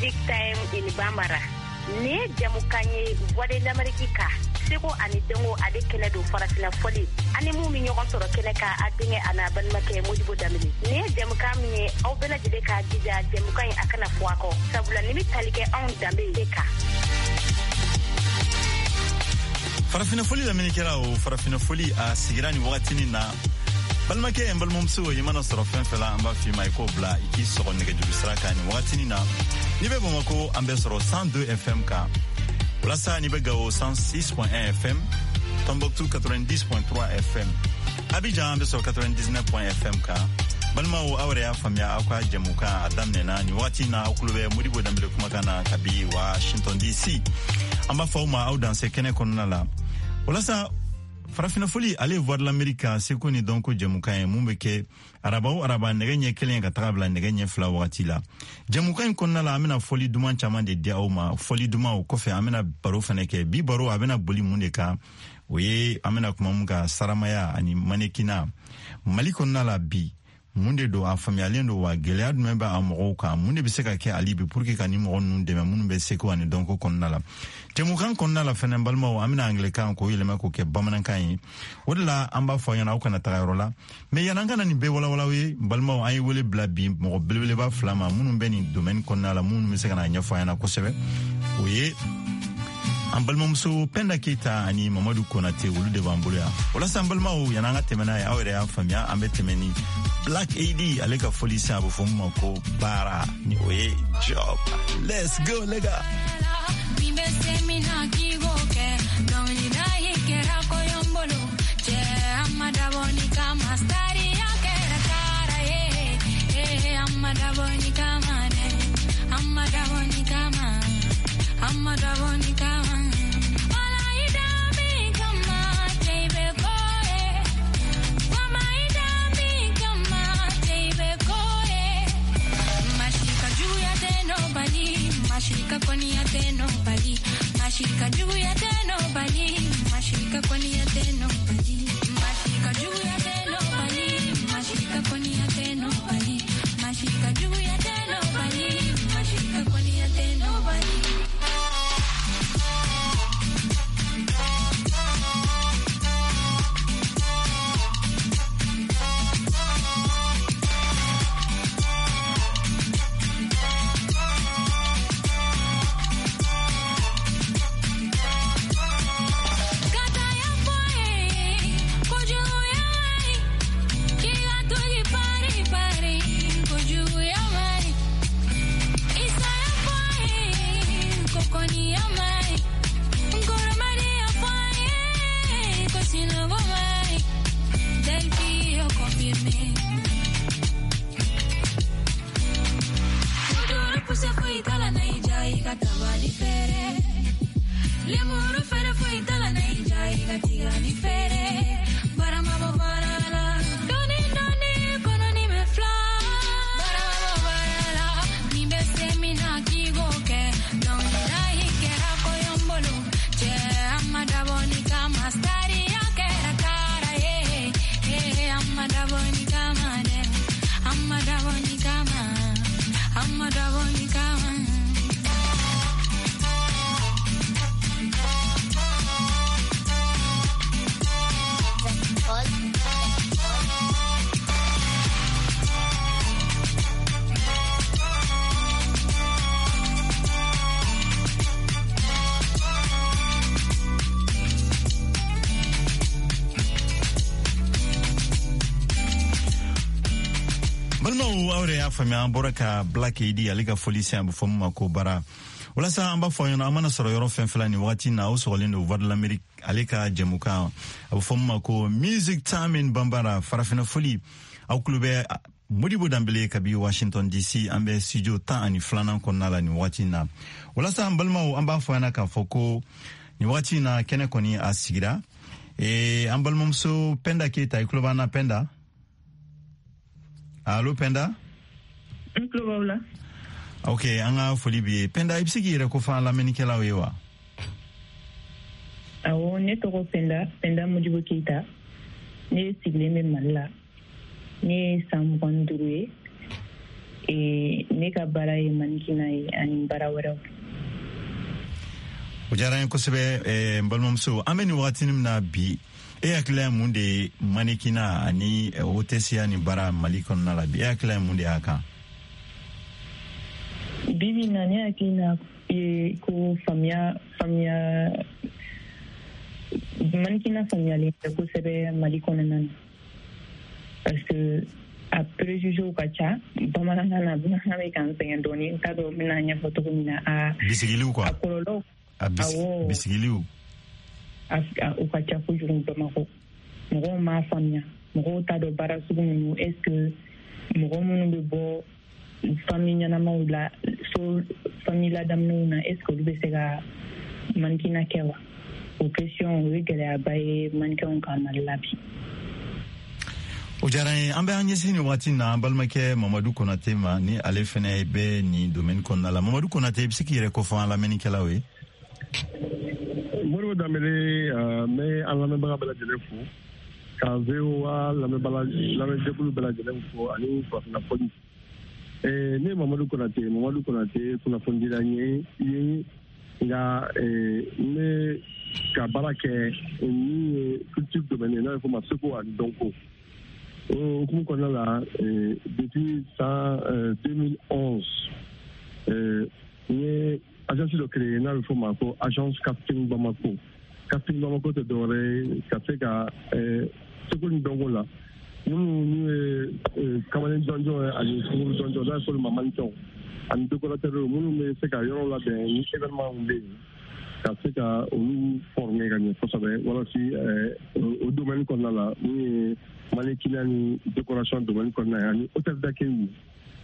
Music Time in Bambara. Nin ye jamukan ye Voix de l'Amérique kan, seko ani dɔnko ale kɛnɛ don, farafina fɔli ani mun bɛ ɲɔgɔn sɔrɔ kɛnɛ kan, a denkɛ a n'a balimakɛ Modibo Danbele. Nin ye jamukan min ye, aw bɛɛ lajɛlen k'a jija jamukan in a kana fɔ a kɔ, sabula nin bɛ tali kɛ anw danbe de kan. Farafina fɔli lamɛnnikɛlaw, farafina fɔli a sigira nin wagatinin na. Balimakɛ, n balimamuso, i mana sɔrɔ fɛn fɛn la, an b'a f'i ma i k'o bila, i k'i sɔgɔ nɛgɛjuru sira kan nin wagatinin na. N'i bɛ Bamako, an bɛ sɔrɔ 102 FM kan. Walasa n'i bɛ Gawo, 106.1 FM, Tombouctou 90.3 FM, Abidjan an bɛ sɔrɔ 99 FM kan. Balimaw, aw yɛrɛ y'a faamuya, aw ka jɛmukan a daminɛna nin wagati na. Aw kulo bɛ Modibo Danbele kumakan na kabi Washington DC. An b'a fɔ aw ma aw danse kɛnɛ kɔnɔna la. Walasa farafina fɔli, ale ye Voix de l'Amérique ka seko ni dɔnko jɛmukan ye mun bɛ kɛ araba o araba nɛgɛ ɲɛ 1 ka taga bila nɛgɛ ɲɛ 2 wagati la. Jɛmukan in kɔnɔna la, an bɛna fɔli duman caman de di aw ma. Fɔli duman o kɔfɛ, an bɛna baro fɛnɛ kɛ. Bi baro a bɛna boli mun de kan? O ye an bɛna kuma mun kan, saramaya ani manekina Mali kɔnɔna la bi, mun de don? A faamuyalen don wa? Gɛlɛya jumɛn bɛ a mɔgɔw kan? Mun de bɛ se ka kɛ hali bi pour que ka ni mɔgɔ ninnu dɛmɛ minnu bɛ seko ani dɔnko kɔnɔna la? Jɛmukan kɔnɔna la fɛnɛ, balimaw, an bɛna angilɛkan k'o yɛlɛma k'o kɛ bamanankan ye. O de la an b'a fɔ aw ɲɛna aw kana taga yɔrɔ la. Mais yan'an ka na nin bɛɛ walawalaw ye, balimaw, an ye wele bila bi mɔgɔ belebeleba fila ma minnu bɛ nin domaine kɔnɔna la, minnu bɛ se ka na ɲɛfɔ an ɲɛna kosɛbɛ. O ye an balimamuso Penda Keyita ani Mamadu Konate, olu de b'an bolo yan. Walasa an balimaw, yan'an ka tɛmɛ n'a ye, aw yɛrɛ y'a faamuya, an bɛ tɛmɛ ni Black AD ale ka fɔli sen, a bɛ fɔ mun ma ko baara, ni o ye job. Let's go, les gars. Min bɛ se min na k'i k'o kɛ, dɔnkilida ye kɛra kɔɲɔbolo cɛ, a ma dabɔ ni kama, sariya kɛra kara ye. Eh, a ma dabɔ ni kama dɛ, a ma dabɔ ni kama, a ma dabɔ ni kama. Wala i da min kama, cɛ i bɛ ko ye. Mama i da min kama, cɛ i bɛ ko ye. Masi ka juguya tɛ n'o bali, masi ka kɔniya tɛ n'o bali, masi ka juguya tɛ n'o bali, masi ka kɔniya tɛ n'o bali, masi ka juguya tɛ n'o bali, masi ka kɔniya tɛ n'o bali, masi ka juguya tɛ n'o bali, masi ka kɔniya tɛ n'o bali. Kata ya fɔ ye, kojuguya ma ɲi. K'i ka to k'i pari pari, kojuguya ma ɲi. Isa ya fɔ ye, ko kɔniya ma ɲi. Nkoromadi ya fɔ ye, ko sinɔgɔ ma ɲi. Delphi yo confirmé. Kuduru puse foyi t'a la na i ja i ka tabali feere. Lemuru feere foyi t'a la na i ja i ka tigani feere. Barama bɔ baara la. Dɔɔni dɔɔni kɔnɔni bɛ fila. Barama bɔ baara la. Min bɛ se min na k'i k'o kɛ. Dɔnkilida in kɛra kɔɲɔbolo. Cɛ a ma dabɔ ni kama. Sariya kɛra kara ye. Eh, a ma dabɔ ni kama dɛ. A ma dabɔ ni kama. A ma dabɔ ni kama. Balimaw, aw yɛrɛ y'a faamuya, an bɔra ka Black AD ale ka fɔli sen, a bɛ fɔ min ma ko baara. Walasa an b'a fɔ aw ɲɛna, an mana sɔrɔ yɔrɔ fɛn fɛn la nin wagati na, aw sɔgɔlen don Voix de l'Amérique ale ka jɛmukan, a bɛ fɔ min ma ko Music Time in Bambara, farafinna fɔli. Aw kulo bɛ Modibo Danbele kabi Washington DC, an bɛ studio 12nan kɔnɔna la nin wagati na. Walasa an balimaw, an b'a fɔ ɲɛna k'a fɔ ko nin wagati na kɛnɛ kɔni a sigira. An balimamuso Penda Keyita, i kulo b'an na Penda? Allo Penda? N tulo b'aw la. Ok, an ka foli b'i ye. Penda, i bɛ se k'i yɛrɛ kofɔ an lamɛnnikɛlaw ye wa? Awɔ, ne tɔgɔ Penda, Penda Modibo Keyita. Ne sigilen bɛ Mali la. Ne ye san 25 ye. Ne ka baara ye mannequinat ye ani baara wɛrɛw. O diyara n ye kosɛbɛ, n balimamuso. An bɛ nin wagatinin min na bi, e hakilila ye mun de ye mannequinat ani hôtesse ni baara Mali kɔnɔna la bi? E hakilila ye mun de y'a kan? Bi bi na, ne hakilina ye ko faamuya mannequinat faamuyalen tɛ kosɛbɛ Mali kɔnɔna na, parce que a préjugés ka ca. Bamanankan na, bamanankan bɛ k'an sɛgɛn dɔɔni, n t'a dɔn n bɛna ɲɛfɔ cogo min na. A bisigiliw quoi. A kɔlɔlɔ. A bisigiliw. O ka ca kojugu Bamakɔ. Mɔgɔw m'a faamuya, mɔgɔw t'a dɔn baara sugu minnu. Est ce que mɔgɔ minnu bɛ bɔ famille ɲɛnamaw la, so famille ladamunenw na, est ce que olu bɛ se ka mannequinat kɛ wa? O question, o ye gɛlɛyaba ye mannequinw kan Mali la bi. O diyara n ye. An bɛ an ɲɛsin nin waati na an balimakɛ Mamadu Konate ma, ni ale fɛnɛ bɛ nin domaine kɔnɔna la. Mamadu Konate, i bɛ se k'i yɛrɛ kofɔ an lamɛnnikɛlaw ye? Modibo Danbele, n bɛ an lamɛnbaga bɛɛ lajɛlen fo, ka VOA lamɛnjɛkulu bɛɛ lajɛlen fo ani farafinna fɔli. Ne ye Mamadu Konate, Mamadu Konate kunnafonidila ye, nka n bɛ ka baara kɛ min ye culture domaine ye, n'a bɛ fɔ o ma seko ani dɔnko. O hukumu kɔnɔna la, depuis san 2011, n ye agence dɔ créé n'a bɛ fɔ o ma ko agence Casting Bamako. Casting Bamako tɛ dɔwɛrɛ ye ka se ka seko ni dɔnko la, minnu n'u ye kamalen jɔnjɔn ye ani sunkuru jɔnjɔn, n'a bɛ fɔ olu ma mannequinw ani décorateur, minnu bɛ se ka yɔrɔw labɛn ni événement bɛ yen, ka se ka olu former ka ɲɛ kosɛbɛ, walasa o domaine kɔnɔna la, min ye mannequinat ni décoration domaine kɔnɔna ye ani hôtel d'accueil,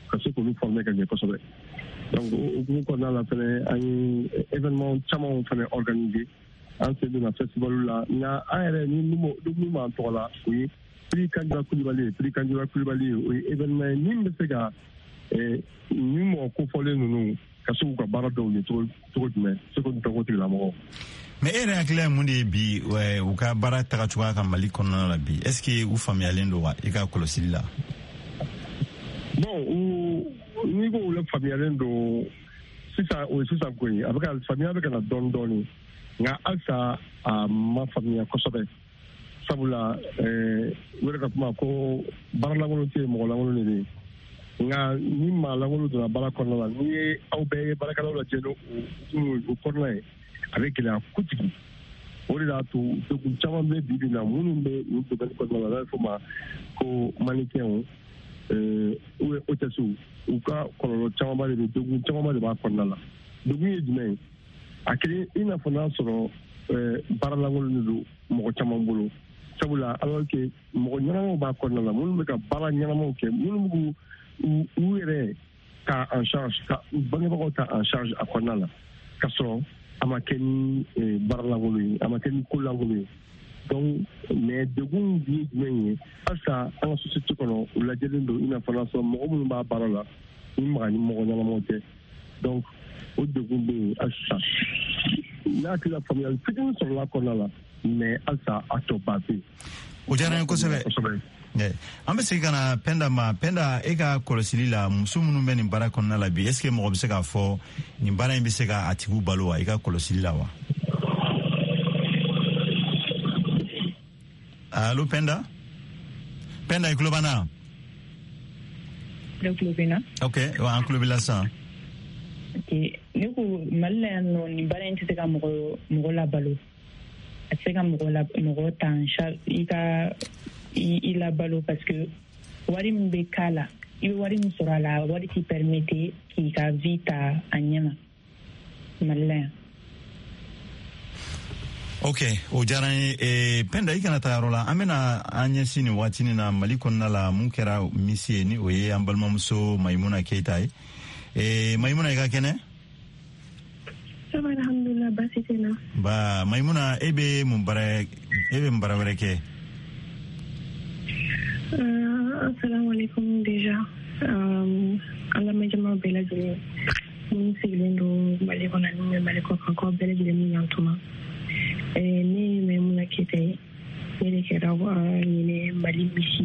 ka se k'olu former ka ɲɛ kosɛbɛ. Donc o hukumu kɔnɔna la fɛnɛ, an ye événement camanw fɛnɛ organiser, an sen donna festival la. Nka an yɛrɛ ni min b'an tɔgɔ la, o ye Prix Kandjara Kulibali ye. Prix Kandjara Kulibali ye, o ye événement ye min bɛ se ka ni mɔgɔ kofɔlen ninnu ka se k'u ka baara dɔw ye cogo jumɛn, seko ni dɔnko tigilamɔgɔw. Mais e yɛrɛ hakilila ye mun de ye bi, u ka baara taga cogoya kan Mali kɔnɔna la bi? Est ce que u faamuyalen don wa, i ka kɔlɔsili la? Bon, n'i ko u la faamuyalen don sisan, o ye sisan ko ye. A bɛ ka faamuya bɛ ka na dɔɔni dɔɔni, nka halisa a ma faamuya kosɛbɛ, sabula u yɛrɛ ka kuma ko baara lankolon tɛ yen, mɔgɔ lankolon de bɛ yen. Nka ni maa lankolon donna baara kɔnɔna la, n'i ye aw bɛɛ ye baarakɛlaw lajɛ n'o o kɔnɔna ye, a bɛ gɛlɛya kojugu. O de y'a to degun caman bɛ bi bi in na minnu bɛ nin domaine kɔnɔna la, n'a bɛ fɔ o ma ko mannequinw ou bien hôtesses, u ka kɔlɔlɔ camanba de bɛ, degun camanba de b'a kɔnɔna la. Degun ye jumɛn ye? A kelen i n'a fɔ n'a sɔrɔ baara lankolon de don mɔgɔ caman bolo, sabula alors que mɔgɔ ɲɛnamaw b'a kɔnɔna la, minnu bɛ ka baara ɲɛnamaw kɛ, minnu b'u u yɛrɛ ta en charge, ka u bangebagaw ta en charge a kɔnɔna la, ka sɔrɔ a ma kɛ ni baara lankolon ye, a ma kɛ ni ko lankolon ye. Donc mais degun ye jumɛn ye? Halisa an ka société kɔnɔ, u lajɛlen don i n'a fɔ n'a sɔrɔ mɔgɔ minnu b'a baara la, ni maga ni mɔgɔ ɲɛnamaw tɛ. Donc o degun bɛ yen halisa. N'a hakili la, faamuyali fitinin sɔrɔla kɔnɔna la, mais halisa a tɔ ba bɛ yen. O diyara n ye kosɛbɛ. An bɛ segin ka na Pɛnda ma. Pɛnda, e ka kɔlɔsili la, muso minnu bɛ nin baara kɔnɔna la bi, est ce que mɔgɔ bɛ se k'a fɔ nin baara in bɛ se ka a tigiw balo wa, i ka kɔlɔsili la wa? Allo Pɛnda, Pɛnda, i tulo b'an na? Ne tulo bɛ na. Ok, an tulo b'i la sisan. Ok, ne ko Mali la yan nɔ, nin baara in tɛ se ka mɔgɔ labalo. A tɛ se ka mɔgɔ ta en charge, i ka i labalo, parce que wari min bɛ k'a la, i bɛ wari min sɔrɔ a la, wari t'i permettre k'i ka vie ta a ɲɛ ma Mali la yan. Ok, o diyara n ye. Pɛnda, i kana taa yɔrɔ la. An bɛna an ɲɛsin nin waatinin na Mali kɔnɔna la, mun kɛra Miss ye, ni o ye an balimamuso Mayimuna Keyita ye. Mayimuna, i ka kɛnɛ? Ça va, alhamdulillah, baasi tɛ n na. Ba Mayimuna, e bɛ mun baara, e bɛ mun baara wɛrɛ kɛ? Assalamu alaikum déjà. An lamɛnjama bɛɛ lajɛlen minnu sigilen don Mali kɔnɔ ani bɛ Mali kɔ kan, k'aw bɛɛ lajɛlen ni ɲantuma. Ne ye Mayimuna Keyita ye, ne de kɛra ɲinɛ Mali Miss.